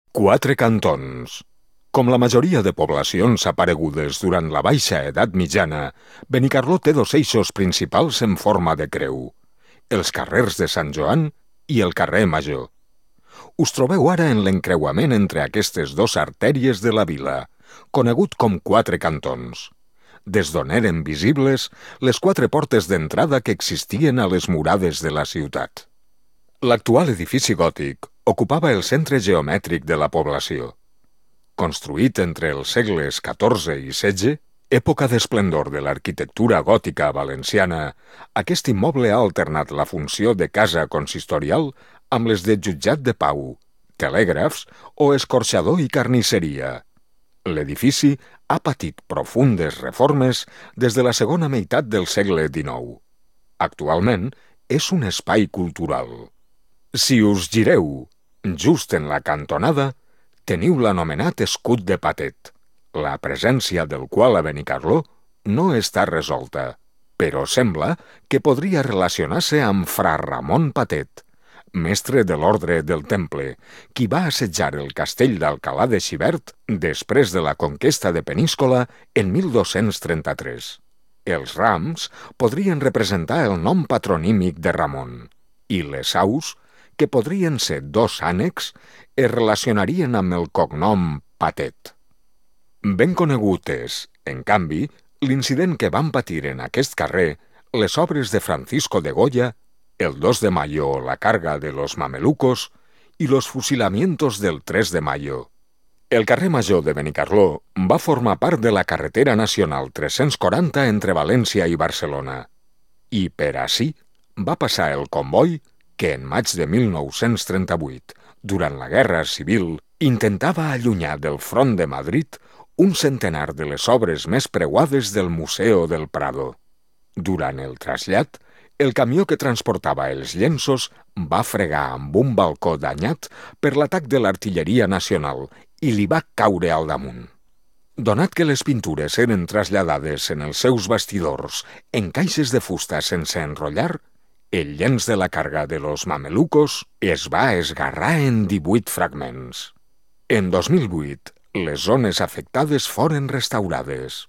Quatre cantons. Com la majoria de poblacions aparegudes durant la baixa edat mitjana, Benicarló té dos eixos principals en forma de creu: els carrers de Sant Joan i el carrer Major. Us trobeu ara en l'encreuament entre aquestes dues artèries de la vila, conegut com Quatre Cantons, des d'on eren visibles les quatre portes d'entrada que existien a les murades de la ciutat. L'actual edifici gòtic ocupava el centre geomètric de la població. Construït entre els segles XIV i XVI, època d'esplendor de l'arquitectura gòtica valenciana, aquest immoble ha alternat la funció de casa consistorial amb les de jutjat de pau, telègrafs o escorxador i carnisseria. L'edifici ha patit profundes reformes des de la segona meitat del segle XIX. Actualment és un espai cultural. Si us gireu just en la cantonada, teniu l'anomenat escut de Patet, la presència del qual a Benicarló no està resolta, però sembla que podria relacionar-se amb Fra Ramon Patet, mestre de l'Ordre del Temple, qui va assetjar el castell d'Alcalà de Xivert després de la conquesta de Peníscola en 1233. Els rams podrien representar el nom patronímic de Ramon, i les aus, que podrien ser dos ànecs, es relacionarien amb el cognom Patet. Ben conegut és, en canvi, l'incident que van patir en aquest carrer les obres de Francisco de Goya, el 2 de mayo o la carga de los mamelucos i los fusilamientos del 3 de mayo. El carrer Major de Benicarló va formar part de la carretera nacional 340 entre València i Barcelona, i per ací va passar el comboi que en maig de 1938, durant la Guerra Civil, intentava allunyar del front de Madrid un centenar de les obres més preuades del Museu del Prado. Durant el trasllat, el camió que transportava els llenços va fregar amb un balcó danyat per l'atac de l'artilleria nacional i li va caure al damunt. Donat que les pintures eren traslladades en els seus bastidors en caixes de fusta sense enrotllar, el llenç de la carga de los mamelucos es va esgarrar en 18 fragments. En 2008, les zones afectades foren restaurades.